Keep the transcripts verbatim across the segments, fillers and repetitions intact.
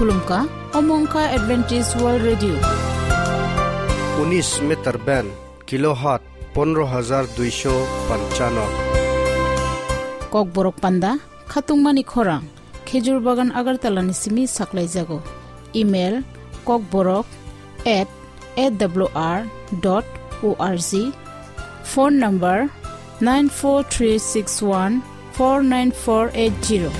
Khulumkha, omo wngkha Adventist World Radio. Unis meter band, kilohertz pondro hajar duisho panchano. Kokborok panda, khatungmani khorang, Khejur Bagan Agartala ni simi saklaijago. Email, kokborok at A W R dot O R G. Phone number nine four three six one four nine four eight zero.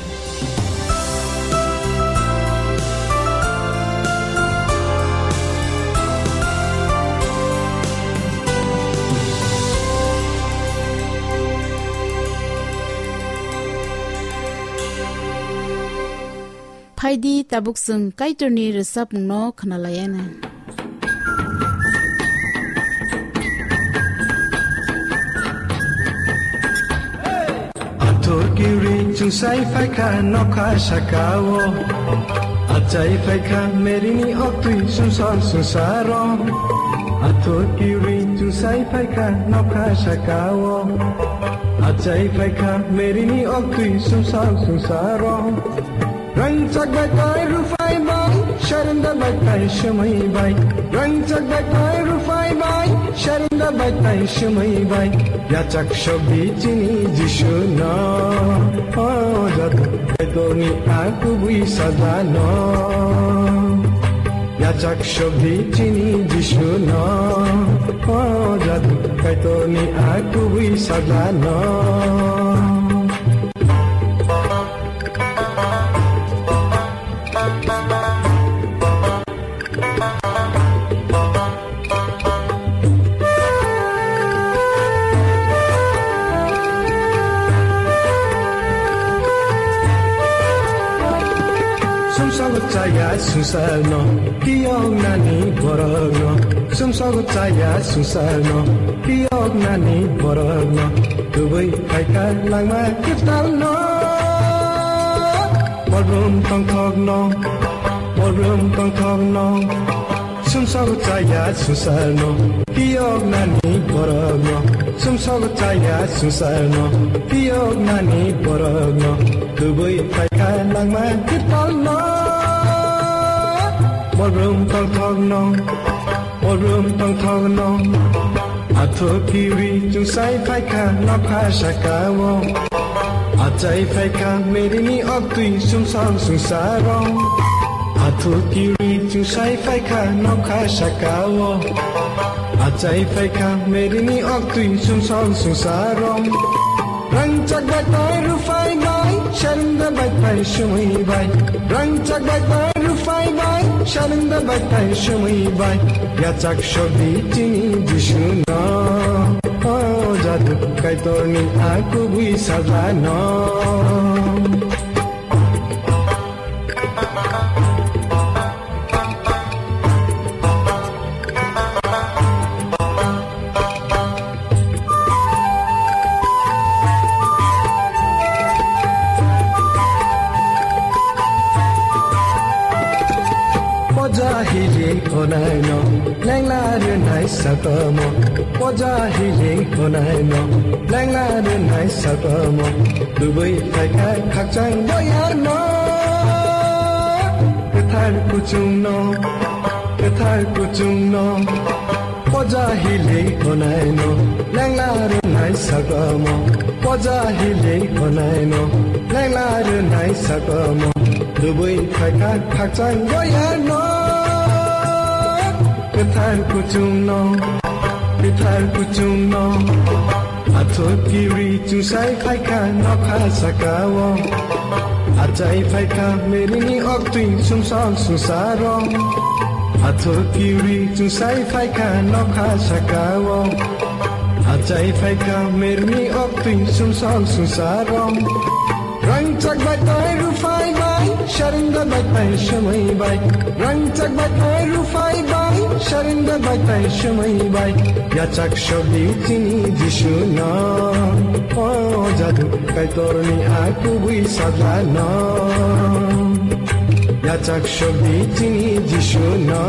Phaidi tabuk chwng Kaitorni rwchapmungno khwnalaianw. Athor kiwi chwngsai phaikha nokha sakao. Achai phaikha merini oktwi sumsok sumsaro. Athor kiwi chwngsai phaikha nokha sakao. Achai phaikha merini oktwi sumsok sumsaro. Rangchak bai tai rufai bai, sharenda bai tai shemai bai. Rangchak bai tai rufai bai, sharenda bai tai shemai bai. Yachak shobdi chini Jisu no, o jadu Kaitorni a kubui sajla no. Yachak shobdi chini Jisu no, o jadu Kaitorni a kubui sajla no. Sumsok chaya sumsok no, tiyok nani borok no. Sumsok chaya sumsok no, tiyok nani borok no. Tubui phaikha langma kwtal no. Polbrum tongthok no, polbrum tongthok no. Sumsok chaya sumsok no, tiyok nani borok no. Sumsok chaya sumsok no, tiyok nani borok no. Tubui phaikha langma kwtal no. Polbrum tongthok no, polbrum tongthok no. Athok kiwi chwngsai phaikha nokha sakao. Achai phaikha merini oktwi sumsok sumsaro. Athok kiwi chwngsai phaikha nokha sakao. Achai phaikha merini oktwi sumsok sumsaro. Rangchak bai tai rufai bai, sharenda bai tai shemai bai. Rangchak bai tai rufai bai, sharenda bai tai shemai bai. Yachak shobdi chini Jisu no, o jadu Kaitorni a kubui sajla no. Poja hili honai no, lengla rinai sakamo. Poja hili honai no, lengla rinai sakamo. Tubui phaikha khakchang boyar no. Kwthar kuchung no, kwthar kuchung no. Poja hili honai no, lengla rinai sakamo. Poja hili honai no, lengla rinai sakamo. Tubui phaikha khakchang boyar no. Kwthar kuchung no, kwthar kuchung no. Athok kiwi chwngsai phaikha nokha sakao. Achai phaikha merini oktwi sumsok sumsaro. Athok kiwi chwngsai phaikha nokha sakao. Achai phaikha merini oktwi sumsok sumsaro. Rangchak bai tai rufai bai, sharenda bai tai shemai bai. Rangchak bai tai rufai bai, sharenda bai tai shemai bai. Yachak shobdi chini Jisu no, o jadu Kaitorni a kubui sajla no. Yachak shobdi chini Jisu no,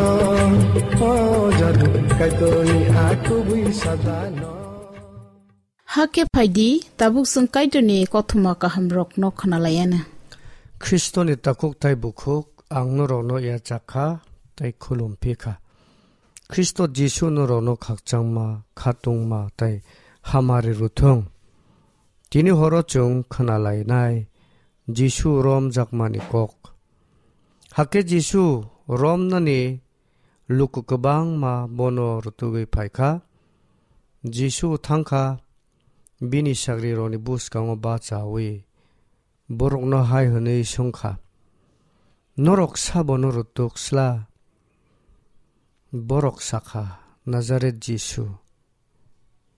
o jadu Kaitorni a kubui sajla no. Hakhe phaidi, tabuk chwng Kaitorni kothoma kahamrokno khwnalaianw. Khristoni takhuk tei bukhuk, ang norokno yachak kha tei khulum phi kha. Khristo Jisu norokno khakchangma, khatungma tei hamari rwthung. Tini horo chwng khna lainai Jisu romjakmani kok. Hakhe Jisu romnani luku kwbangma bono rwtugwi phai kha. Jisu thang kha, bini sagrirokni bwskango bachaui borokno hai hwnwi swng kha, "Norok sabono rwtwk sla?" Borok sa kha, "Nazaret Jisu."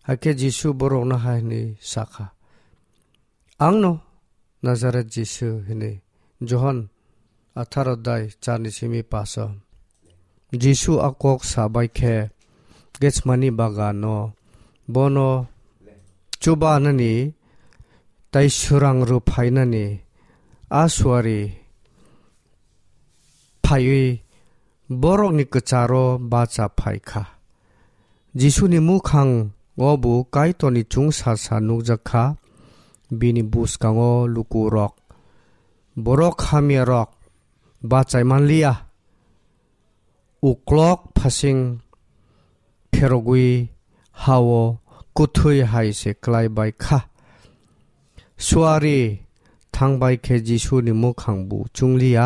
Hakhe Jisu borokno hai hwnwi sa kha, "Angno Nazaret Jisu," hwnwi. Johon atharo dai charni simi paso. Jisu a kok sa bai khe Gethsemani bagano bono chubanani tei swrang rw phainani a suari phaiwi borokni kwcharo bacha phai kha. Jisuni mwkhango bo Kaitorni chwngsasa nukjak kha, bini bwskango lukurok, borok hamyarok bachai man liya. Uklok phasing pherogwi hao kwthwi hai se klai bai kha. Suari thang bai khe Jisuni mwkhang bo chwng liya,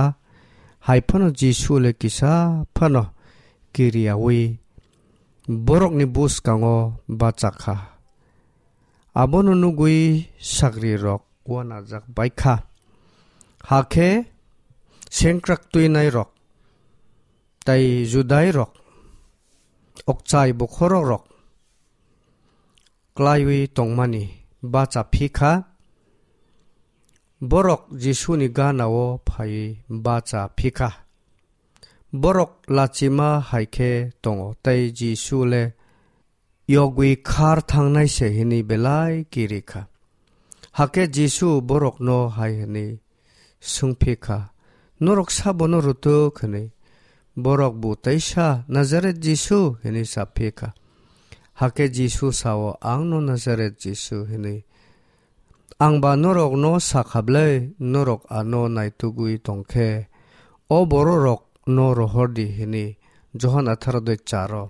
hai phano Jisu le kisa phano kiriyaui borokni bwskango bacha kha. Abono nugwi sagrirok uanajak bai kha. Hakhe sengkrak twinairok tei Judairok, okchai bokhorokrok klaiwi tongmani bacha phi kha. Borok Jisuni ganao phaiwi bacha phi kha. Borok lachima hai khe tongo tei Jisu le yogwi khar thangnai se hwnwi belai kiri kha. Hakhe Jisu borokno hai hwnwi swng phi kha, "Norok sabono rwtwk?" hwnwi. Borok bo teisa, "Nazaret Jisu," hwnwi sa phi kha. Hakhe Jisu sao, "Angno Nazaret Jisu," hwnwi. Ang ba norokno sa kha ble, norok ano naitugwi tong khe, o bororokno rohor di hwnwi Johon atharo doi charo.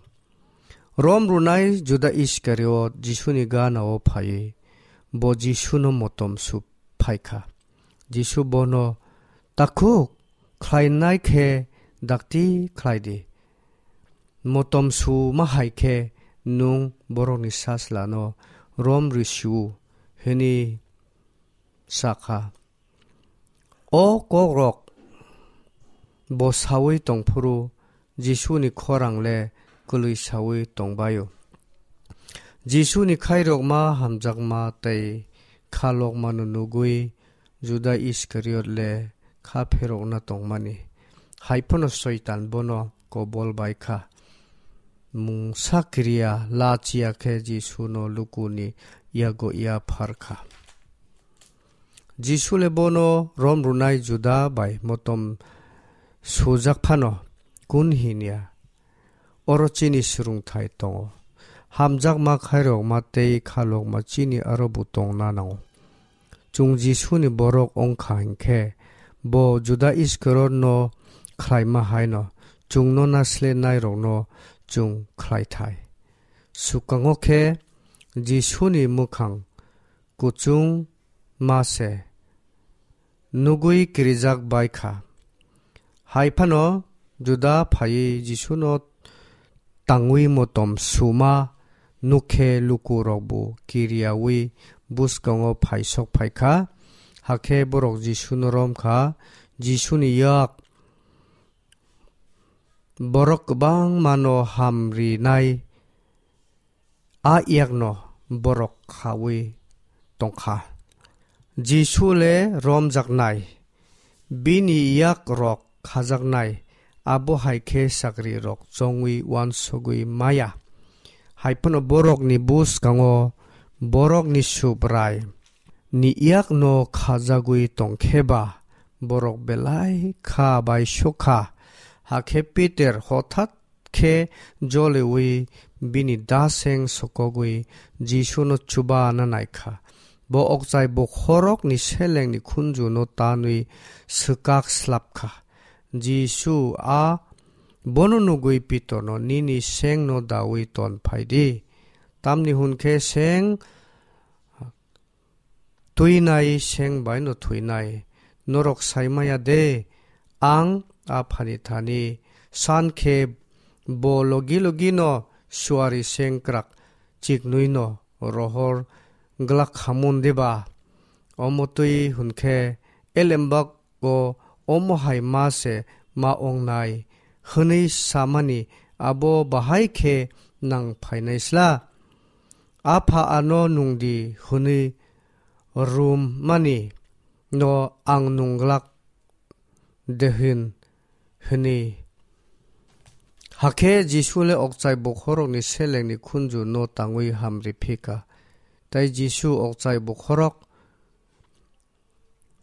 Rom rwnai Juda Iskariot Jisuni ganao phaiwi bo Jisuno motom su phai kha. Jisu bono, "Takhuk khlainai khe dakti khlai di. Motom su ma hai khe nwng borokni sajlano rom rw si-o," hwnwi sa kha. O kokrok bo saui tongphuru Jisuni khorang le kwlwi saui tongbaio. Jisuni khairokma hamjakma tei khalokmano nugwi Juda Iskariot le kha pherokna tongmani. Hai phano Soitan bono kobol bai kha. Mungsa kiriya lachiya khe Jisuno lukuni yago yaphar kha. Jisu le bono rom rwnai Juda bai motom sujak phano kun hinya. Oro chini swrwngthai tongo. Hamjakma khairokma tei khalokma chini aro bo tongna nango. Chwng Jisuni borok wng kha hinkhe, bo Juda Iskariotno khlaima haino chwngno naslenairokno chwng khlaithai. Swkango khe Jisuni mwkhang kuchung ma se nugwi kirijak bai kha. Hai phano Juda phaiwi Jisuno tangwi motom suma nukhe lukurokbo kiriyaui bwskango phaisok phai kha. Hakhe borok Jisuno rom kha. Jisuni yak borok kwbangmano hamrinai a yakno borok khaui tongkha. Jisu le romjaknai, bini yakrok khajaknai, abo hai khe chakrirok chongwi uansugwi maya. Hai phano borokni bwskango borokni Subrai ni yakno khajagwi tongkhe ba, borok belai kha bai sukha. Hakhe Peter hothat khe joliui bini daseng sokogwi Jisuno chubana naikha. Bo okchai bokhorokni selengni khunjuno tanwi swkak slapkha. Jisu a bono nugwi Pitorno, "Nini sengno daui ton phai di, tamni hwn khe seng twinai seng bai no thwinai. Norok sai maya de, ang Aphani thani san khe bo logi logi no suari sengkrak chiknwi no rohor glak khamun deba? Omo twi hwn khe elembak o omo hai ma se ma ong nai," hwnwi samani abo bahai khe nang phainai sla? Apha ano nung di hwnwi rum mani no ang nung glak de hin hwnwi. Hakhe Jisu le okchai bokhorokni selengni khunju no tangwi hamri phika. Tai Jisu okchai bokhorok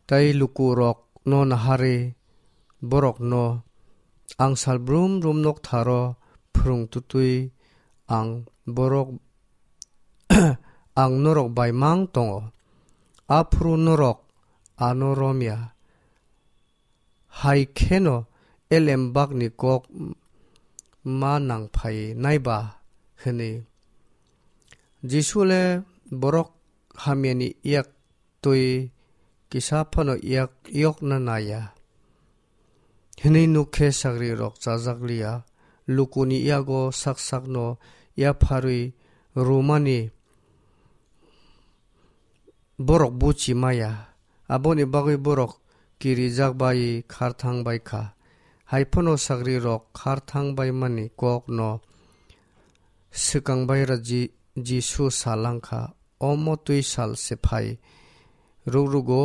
tai lukurokno naharwi borokno, "Ang sal brum brum noktharo phwrwng tutwi ang borok, ang norok bai mang tongo. Aphuru norok ano romya. Hai kheno elembakni kok ma nang phai nai ba?" hwnwi. Jisu le borok hamyani yak twi kisa phano yak yokna naya hwnwi nuk khe sagrirok chajak liya. Lukuni yago sak sakno yapharwi rumani borok buchi maya, aboni bagwi borok kirijak bai kharthang bai kha. Hai phano sagrirok kharthang bai mani kokno swkang bai ra Ji-, Jisu sa lang kha, "Omo twi sal se phai rwk rwgo,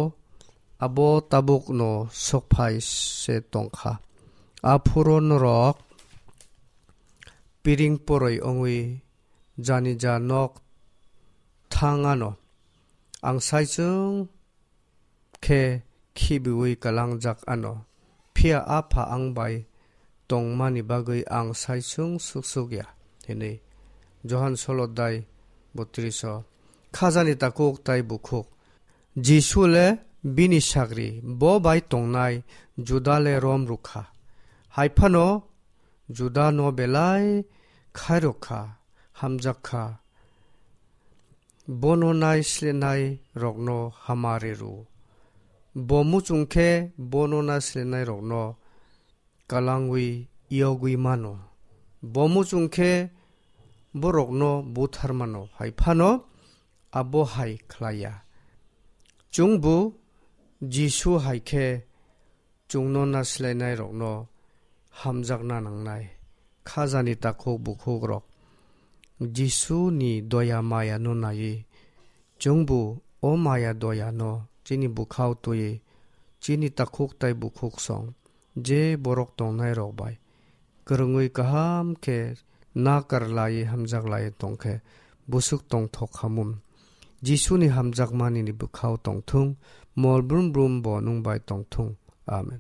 abo tabukno sok phai se tong kha. Aphuru norok piring poroi wngwi jani ja nok thang ano, ang saichung khe khibiui kalangjak ano, phiya Apha ang bai tongmani bagwi ang saichung suksuk ya," hwnwi. Johan solo dai botris o. Khajani takhuk tai bukhuk. Jisu le bini sagri bo bai tongnai Juda le rom rwkha. Hai phano Juda no belai khairok kha, hamjak kha. Bono nai slenai rokno hamari rw. Bo muchung khe bono nai slenai rokno kalangwi yogwi mano. Bo muchung khe borokno buthar mano, hai phano abo hai khlai ya. Chwngbo Jisu hai khe chwngno nai slenai rokno hamjakna nangnai. Khajani takhuk bukhuk rok Jisu ni doya maya no naiwi, chwngbo o maya doya no chini bwkhao twiwi chini takhuk tai bukhuk song je borok tongnai rok bai kwrwngwi kaham khe nakar laiwi hamjak laiwi tong khe bwswk tongthok khamun. Jisuni hamjakmani ni bwkhao tongthung, mol brum brum bo nwng bai tongthung. Amen.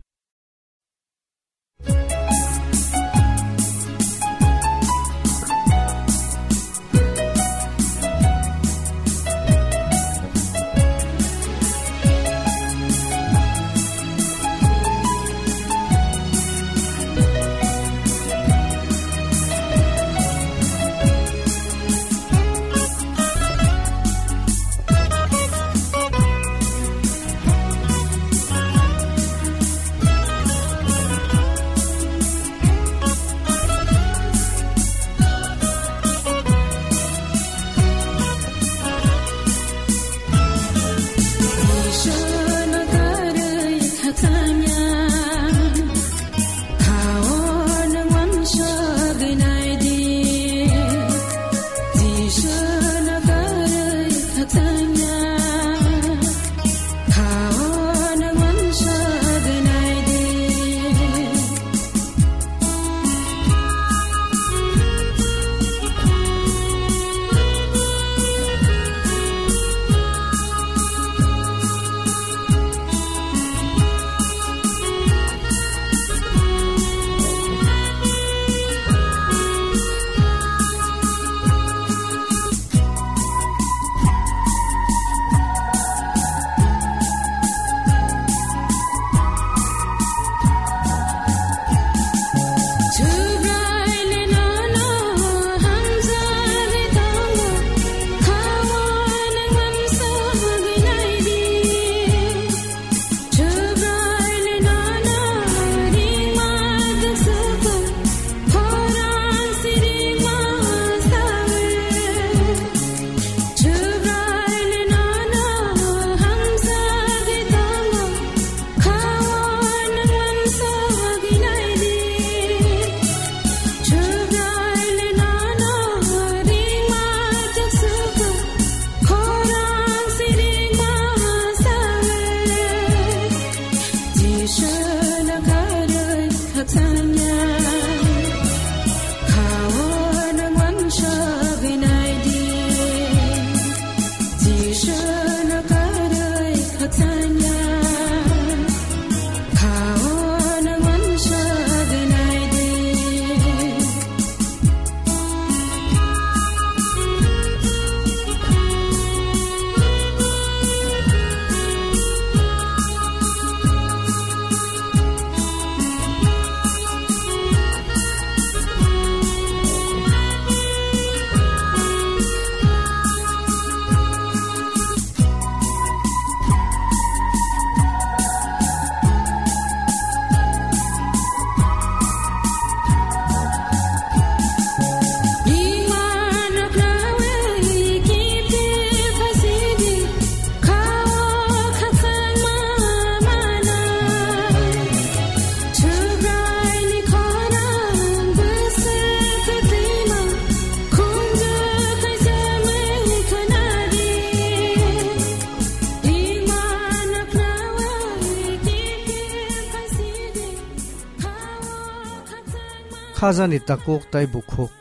Khajani takhuk tei bukhuk.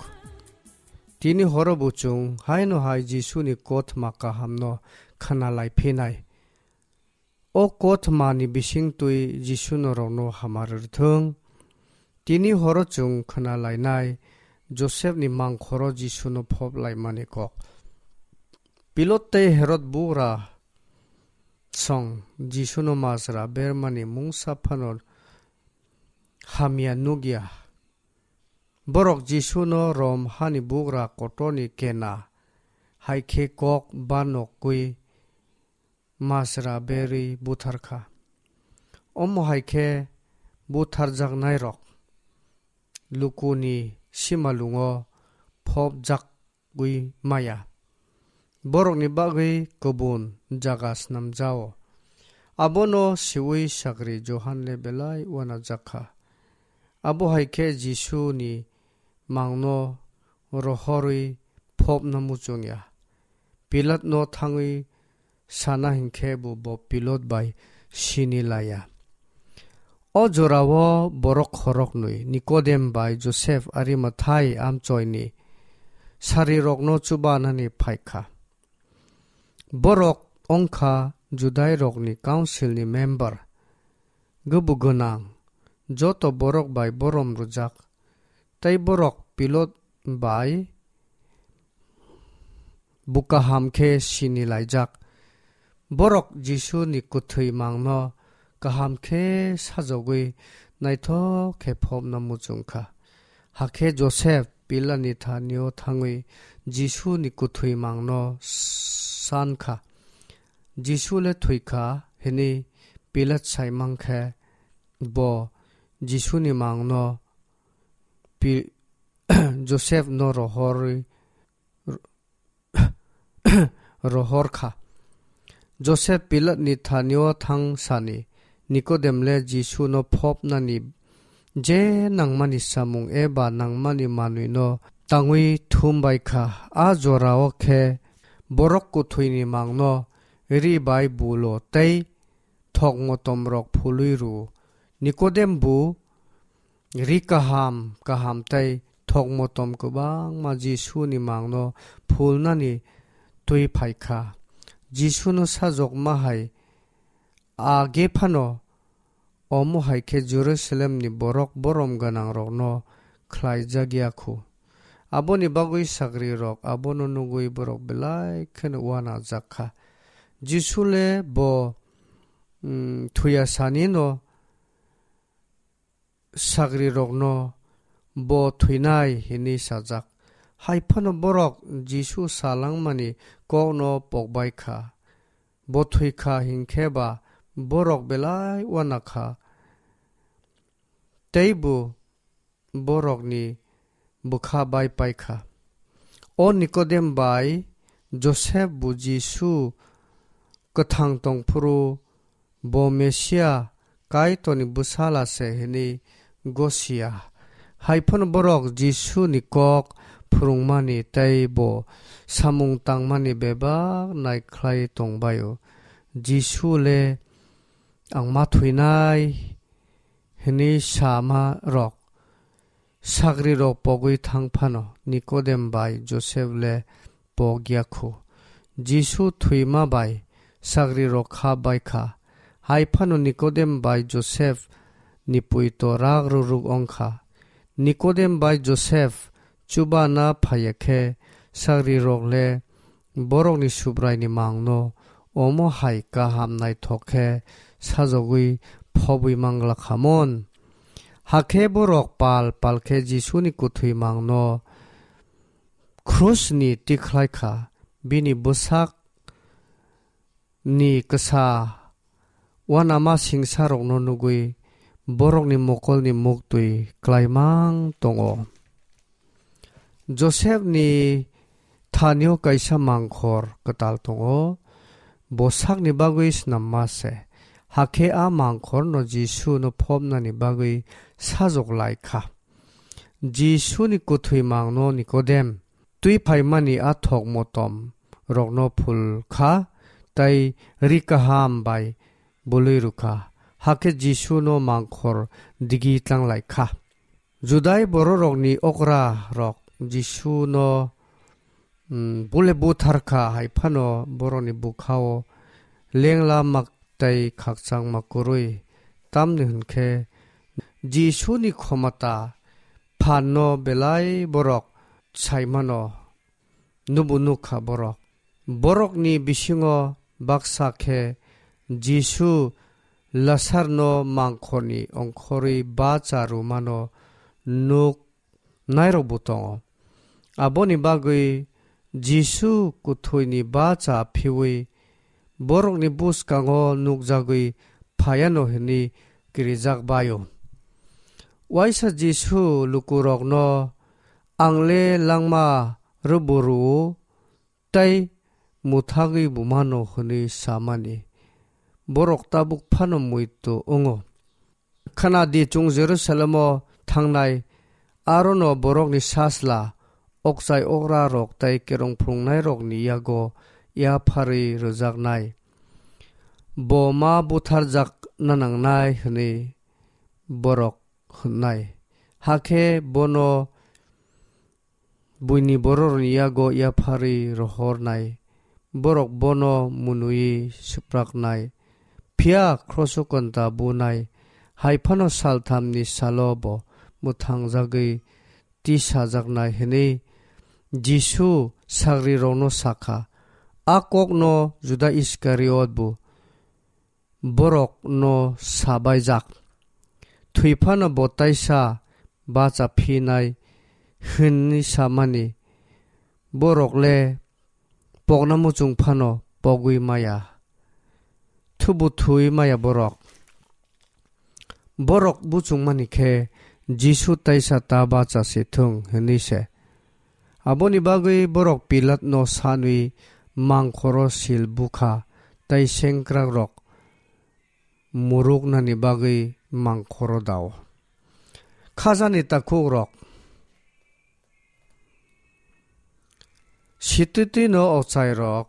Tini horo bo chwng haino hai Jisuni kothoma kahamno khna lai phinai. O kothomani bisingtwi Jisu norokno hamar rwthwng. Tini horo chwng khna lainai Josepni mangkhoro Jisuno phop laimani kok. Pilot tei Herod bugra song Jisuno majra bermani mungsa phano hamya nukya. Borok Jisuno Rom hani bugra kotorni kena hai khe kok banokgwi majra berwi buthar kha. Omo hai khe butharjaknairok lukuni simalungo phopjagwi maya. Borokni bagwi kubun jaga snamjao. Abono siui sagri Johan le belai uanajak kha. Abo hai khe Jisuni mangno rohorwi phopna muchungya. Pilatno thangwi sana hinkhe bo, bo Pilot bai sini laya. O jorao borok khoroknwi, Nikodem bai Josep Arimathai amchoini sarirokno chubanani phai kha. Borok wng kha Judairokni Councilni member, gubu gwnang, joto borok bai borom rwjak, tei borok Pilot bai bo kaham khe sini laijak. Borok Jisuni kwthwi mangno kaham khe sajogwi naithok khe phopna muchung kha. Hakhe Josep Pilatni thanio thangwi Jisuni kwthwi mangno san kha. Jisu le thwi kha hwnwi Pilat sai mang khe, bo Jisuni mangno Pi-, Josepno rohorwi, rohor kha. Josep Pilatni thanio thang sani Nikodem le Jisuno phopnani je nangmani samung eba nangmani manwino tangwi thum bai kha. A jorao khe borok kwthwini mangno ri bai bulo tei thok motomrok phului rw-o. Nikodem bo ri kaham kaham tei thok motom kwbangma Jisuni mangno phulnani twi phai kha. Jisuno sajokma hai age phano omo hai khe Jerusalemni borok borom gwnangrokno khlaijak ya khu. Aboni bagwi sagrirok abono nugwi borok belai kheno uanajak kha. Jisu le bo, mm, thuya sanino sagrirokno bo thwinai hwnwi sajak. Hai phano borok Jisu salangmani kokno pokbai kha. Bo thwi kha hinkhe ba borok belai uana kha. Tei bo borokni bwkha bai pai kha. O Nikodem bai Josep bo Jisu kwthang tong phuru bo Mesia Kaitorni bwsala se hwnwi gosia. Hai phano borok Jisuni kok phwrwngmani tei bo samung tangmani bebak nai khlai tong bai-o. Jisu le ang ma thwinai hwnwi sama rok sagrirok pogwi thang phano Nikodem bai Josep le pok ya khu. Jisu thwima bai sagrirok kha bai kha. Hai phano Nikodem bai Josep ni puito rak ruruk ong kha. Nikodem bai Josep chubana phaiya khe sagrirok le borokni Subraini mangno omo hai kaham naithok khe sajogwi phobwi mangla khamon. Hakhe borok pal pal khe Jisuni kwthwi mangno krusni tikhlai kha, bini bwsak ni kwsa uanama singsarokno nugwi borokni mokolni muktwi klaimang tongo. Josepni thanio kaisa mangkhor kwtal tongo, bo sakni bagwi snamma se, hakhe a mangkhorno Jisuno phopnani bagwi sajok lai kha. Jisuni kwthwi mangno Nikodem twi phaimani a thok motom rokno phul kha, tei ri kaham bai bului rw kha, hakhe Jisuno mangkhor digi tlang lai kha. Judai bororokni okrarok Jisuno, mm, bule buthar kha hai phano borokni bwkhao lengla mak tei khakchangma kwrwi. Tamni hwn khe Jisuni khomota phanno belai borok saimano. Nubo nukha borok. Borokni bisingo baksa khe Jisu Lasarno mangkhorni ongkhorwi bacha rwmano nuk nairokbo tongo. Aboni bagwi Jisu kwthwini bacha phiwi borokni bwskango nukjagwi phaiano hwnwi kirijak bai-o. Waisa Jisu lukurokno, "Ang le langma rwbo rw-o, tei mwthagwi bo mano," hwnwi samani. Borok tabuk phano muitu wngo. Khna di, chwng Jerusalemo thangnai, arono borokni sasla, okchai okrarok tei kerong phrwngnairokni yago yapharwi rwjaknai. Bo ma butharjakna nangnai hwnwi borok hwnnai. Hakhe bono buini bororokni yago yapharwi rohornai, borok bono mwnwi swpraknai, phiya khroso konta bunai, hai phano salthamni salo bo mwthangjagwi tisajaknai hwnwi Jisu sagrirokno sakha. A kokno Juda Iskariot bo borokno sabaijak. Thwi phano bo taisa bacha phinai hwnwi samani. Borok le pokna muchung phano pogwi maya. Thubu thwi maya borok. Borok buchungmani khe Jisu taisa ta bacha se thung hwnwi se. Aboni bagwi borok Pilatno sanwi mangkhoro sil bukha tei sengkrakrok muruknani bagwi mangkhoro dao. Khajani takhukrok, sititino ochairok,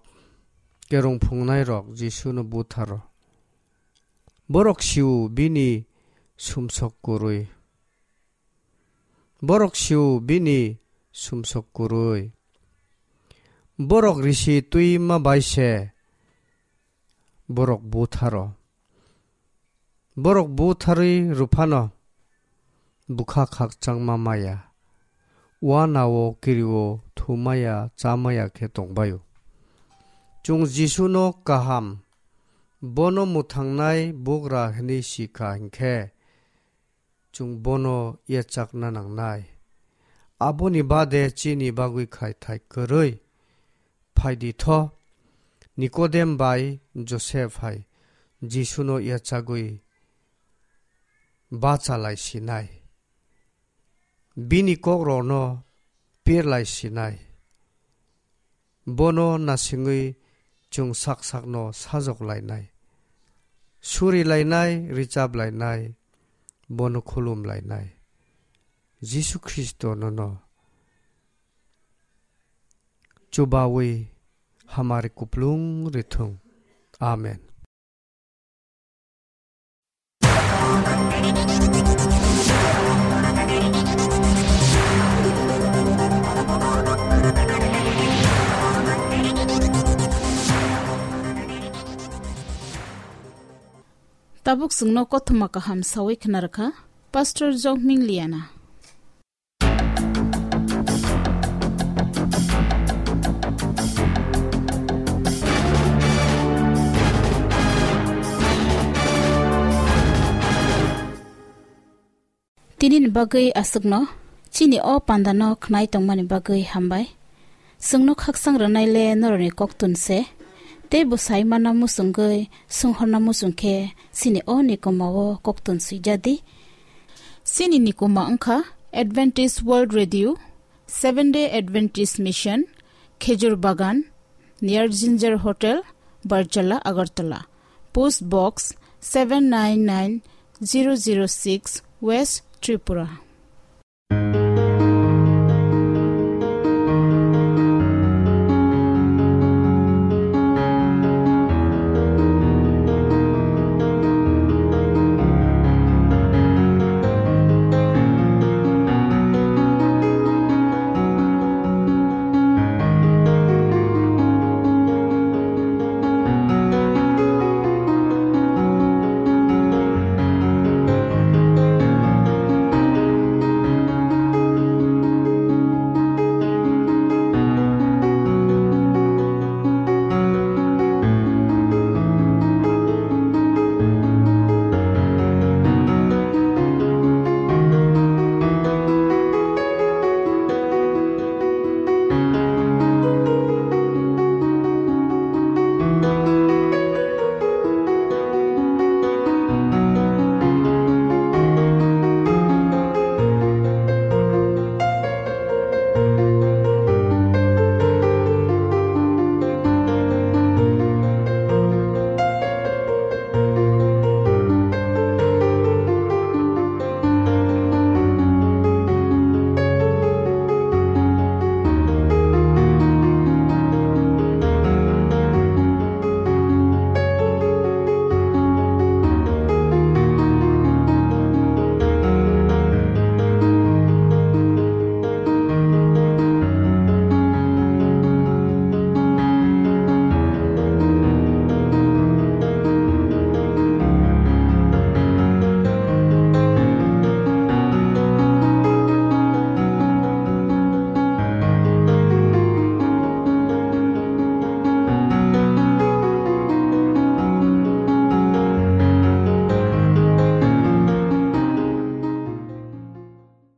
kerong phungnairok Jisuno butharo. Borok siu bini sumsok kwrwi. Borok siu bini sumsok kwrwi. Borok risi twi ma bai se borok butharo. Borok butharwi rwphano bwkha khakchangma maya. Uanao kirio thumaya chamaya khe tongbaio. Chwng Jisuno kaham, bono mwthangnai bugra hwnwi si kha hinkhe, chwng bono yachakna nangnai. Aboni bade chini bagwi khai thai kwrwi. Phaidi tho, Nikodem bai Josep hai Jisuno yachagwi bachalai sinai. Bini kokrokno pirlai sinai. Bono nasingwi chwng sak sakno sajok lainai, suri lainai, richap lainai, bono khulum lainai. Jisu Khristo nono chubawi hamari kuplung rithung. Amen. Tabuk chwngno kothoma kaham sawi khna rwkha Pastor Jokming Liana. Tinini bagwi aswkno, chini o pandano khnai tongmani bagwi hambai. Chwngno khaksang rwnai le norokni koktun se, tei bwsai manna muchungwi, swnghorna muchung khe chini o nikoma o koktun swijadi. Chini nikoma wngkha Adventist World Radio, Seventh Day Adventist Mission, Khejur Bagan, near Ginger Hotel, Barjala, Agartala. Post Box seven nine nine zero zero six, West Tripura.